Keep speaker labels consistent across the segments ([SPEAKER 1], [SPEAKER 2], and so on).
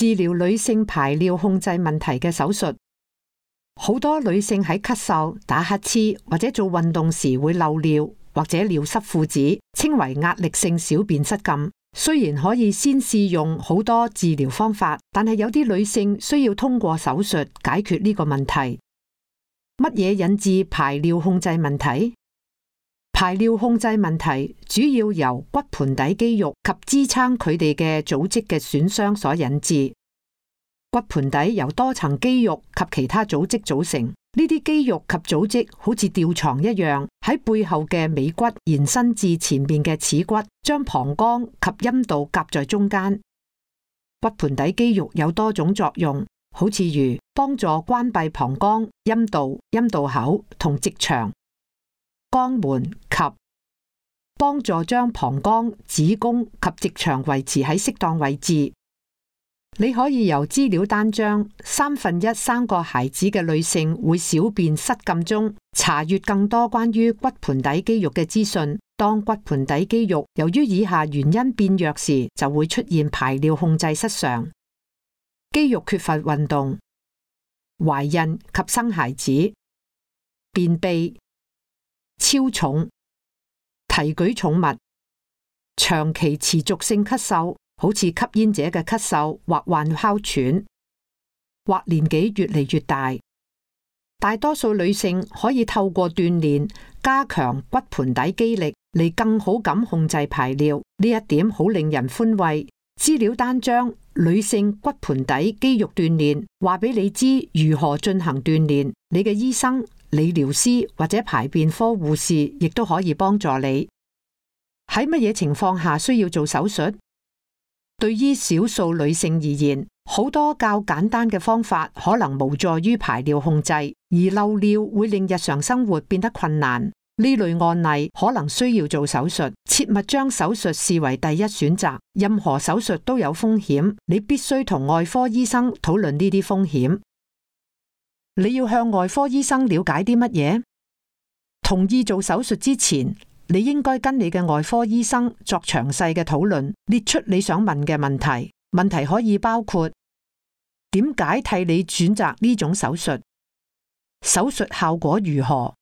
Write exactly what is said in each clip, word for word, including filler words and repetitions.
[SPEAKER 1] 治療女性排尿控制問題嘅手術。好多女性喺咳嗽、打乞嗤或者做運動時會漏尿或者尿濕褲子，稱為壓力性小便失禁。雖然可以先試用好多治療方法，但係有啲女性需要通過手術解決呢個問題。乜嘢引致排尿控制問題？排尿控制問題主要由骨盆底肌肉及支撐佢哋嘅組織嘅損傷所引致。骨盆底由多層肌肉及其他組織組成，呢啲肌肉及組織好似吊床一樣，喺背後嘅尾骨延伸至前面嘅恥骨，將膀胱及陰道夾在中間。骨盆底肌肉有多種作用，好似如幫助關閉膀胱、陰道、陰道口同直腸、肛門及幫助將膀胱、子宮及直腸維持喺適當位置。你可以由資料單張三分一生過孩子嘅女性會小便失禁中查閱更多關於骨盆底肌肉嘅資訊。當骨盆底肌肉由於以下原因變弱時，就會出現排尿控制失常、肌肉缺乏運動、懷孕及生孩子、便秘、超重、提舉重物、長期持續性咳嗽，好似吸煙者嘅咳嗽或患哮喘，或年紀越嚟越大。大多數女性可以透過鍛煉加強骨盆底肌力嚟更好咁控制排尿，呢一點好令人歡慰。資料單張女性骨盆底肌肉鍛煉話俾你知如何進行鍛煉，你嘅醫生、理療師或者排便科護士亦都可以幫助你。喺乜嘢情況下需要做手術？對於少數女性而言，好多較簡單嘅方法可能無助於排尿控制，而漏尿會令日常生活變得困難。呢類案例可能需要做手術，切勿將手術視為第一選擇。任何手術都有風險，你必須同外科醫生討論呢啲風險。你要向外科醫生了解啲乜嘢？同意做手術之前，你應該跟你嘅外科醫生作詳細嘅討論，列出你想問嘅問題。問題可以包括：點解替你選擇呢種手術？手術效果如何？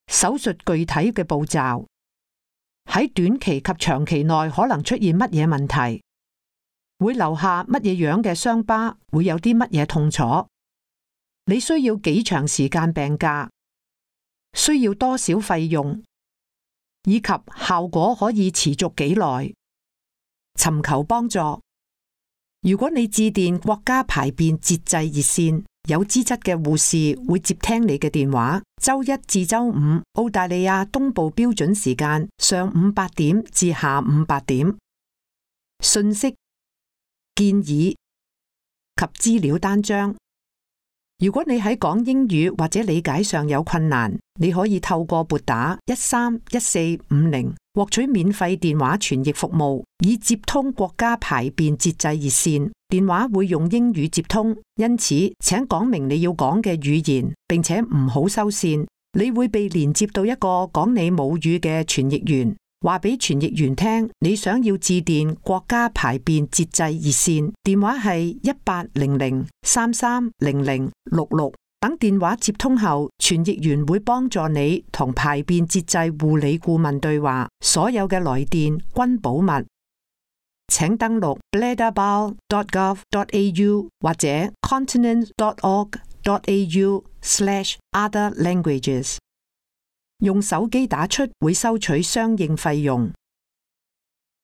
[SPEAKER 1] 手術具體嘅步驟，喺短期及長期內可能出現乜嘢問題？會留下乜嘢樣嘅傷疤？會有啲乜嘢痛楚？你需要幾長時間病假？需要多少費用？以及效果可以持續幾耐？尋求幫助。如果你致電國家排便節制熱線，有資質嘅護士會接聽你嘅電話。周一至周五，澳大利亞東部標準時間上午八點至下午八點。信息、建議及資料單張。如果你喺講英語或者理解上有困難，你可以透過撥打一三一四五零獲取免費電話傳譯服務，以接通國家排便節制熱線。電話會用英語接通，因此請講明你要講嘅語言，並且唔好收線。你會被連接到一個講你母語嘅傳譯員，話俾傳譯員聽你想要致電國家排便節制熱線，電話係一八零零三三零零六六。等電話接通後，傳譯員會幫助你同排便節制護理顧問對話，所有嘅來電均保密。請登錄 bladderbowel dot gov dot a u 或者 continent dot org dot a u slash other languages。用手機打出會收取相應費用。